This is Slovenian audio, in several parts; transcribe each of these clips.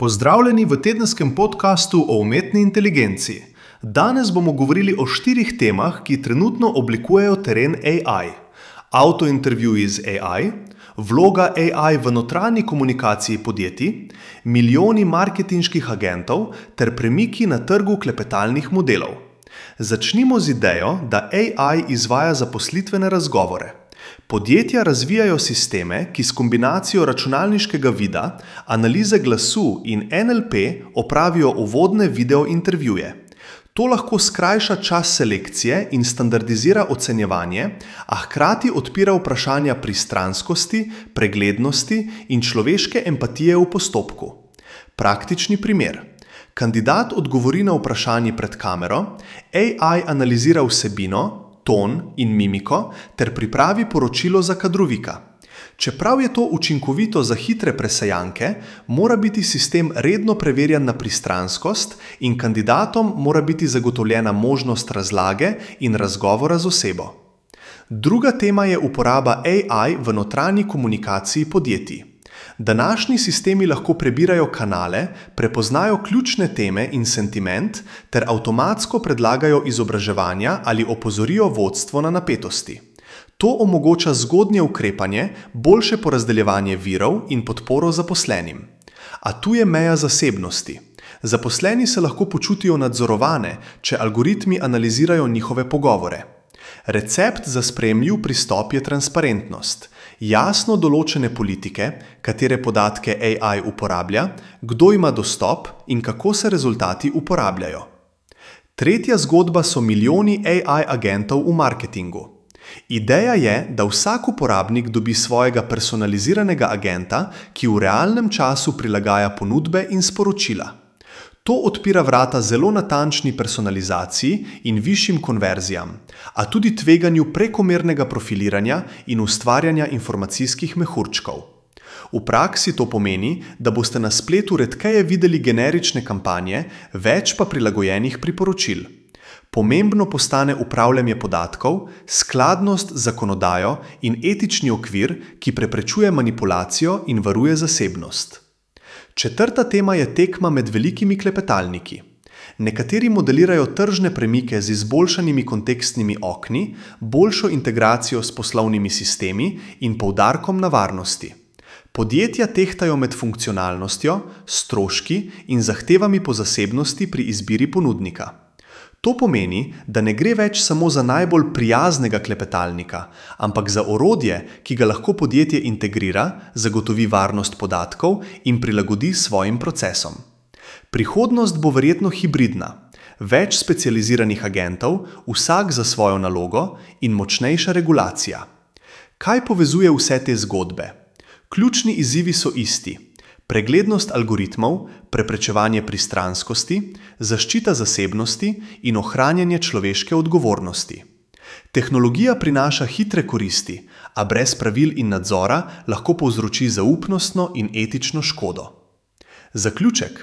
Pozdravljeni v tedenskem podkastu o umetni inteligenci. Danes bomo govorili o 4 temah, ki trenutno oblikujejo teren AI. Avtointervjuji z AI, vloga AI v notranji komunikaciji podjetij, milijoni marketinških agentov ter premiki na trgu klepetalnih modelov. Začnimo z idejo, da AI izvaja zaposlitvene razgovore. Podjetja razvijajo sisteme, ki s kombinacijo računalniškega vida, analize glasu in NLP opravijo uvodne video intervjuje. To lahko skrajša čas selekcije in standardizira ocenjevanje, a hkrati odpira vprašanja pristranskosti, preglednosti in človeške empatije v postopku. Praktični primer. Kandidat odgovori na vprašanje pred kamero, AI analizira vsebino, ton in mimiko ter pripravi poročilo za kadrovika. Čeprav je to učinkovito za hitre presejanke, mora biti sistem redno preverjan na pristranskost in kandidatom mora biti zagotovljena možnost razlage in razgovora z osebo. Druga tema je uporaba AI v notranji komunikaciji podjetij. Današnji sistemi lahko prebirajo kanale, prepoznajo ključne teme in sentiment ter avtomatsko predlagajo izobraževanja ali opozorijo vodstvo na napetosti. To omogoča zgodnje ukrepanje, boljše porazdeljevanje virov in podporo zaposlenim. A tu je meja zasebnosti. Zaposleni se lahko počutijo nadzorovane, če algoritmi analizirajo njihove pogovore. Recept za sprejemljiv pristop je transparentnost. Jasno določene politike, katere podatke AI uporablja, kdo ima dostop in kako se rezultati uporabljajo. Tretja zgodba so milijoni AI agentov v marketingu. Ideja je, da vsak uporabnik dobi svojega personaliziranega agenta, ki v realnem času prilagaja ponudbe in sporočila. To odpira vrata zelo natančni personalizaciji in višjim konverzijam, a tudi tveganju prekomernega profiliranja in ustvarjanja informacijskih mehurčkov. V praksi to pomeni, da boste na spletu redkeje videli generične kampanje, več pa prilagojenih priporočil. Pomembno postane upravljanje podatkov, skladnost z zakonodajo in etični okvir, ki preprečuje manipulacijo in varuje zasebnost. Četrta tema je tekma med velikimi klepetalniki. Nekateri modelirajo tržne premike z izboljšanimi kontekstnimi okni, boljšo integracijo s poslovnimi sistemi in poudarkom na varnosti. Podjetja tehtajo med funkcionalnostjo, stroški in zahtevami po zasebnosti pri izbiri ponudnika. To pomeni, da ne gre več samo za najbolj prijaznega klepetalnika, ampak za orodje, ki ga lahko podjetje integrira, zagotovi varnost podatkov in prilagodi svojim procesom. Prihodnost bo verjetno hibridna. Več specializiranih agentov, vsak za svojo nalogo in močnejša regulacija. Kaj povezuje vse te zgodbe? Ključni izzivi so isti. Preglednost algoritmov, preprečevanje pristranskosti, zaščita zasebnosti in ohranjanje človeške odgovornosti. Tehnologija prinaša hitre koristi, a brez pravil in nadzora lahko povzroči zaupnostno in etično škodo. Zaključek.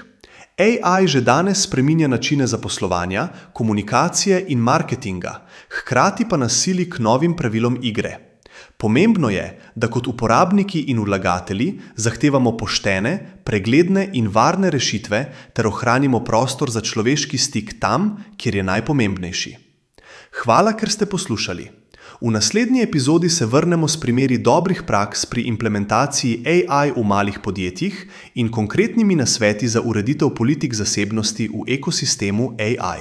AI že danes spreminja načine zaposlovanja, komunikacije in marketinga, hkrati pa nas sili k novim pravilom igre. Pomembno je, da kot uporabniki in vlagatelji zahtevamo poštene, pregledne in varne rešitve ter ohranimo prostor za človeški stik tam, kjer je najpomembnejši. Hvala, ker ste poslušali. V naslednji epizodi se vrnemo s primeri dobrih praks pri implementaciji AI v malih podjetjih in konkretnimi nasveti za ureditev politik zasebnosti v ekosistemu AI.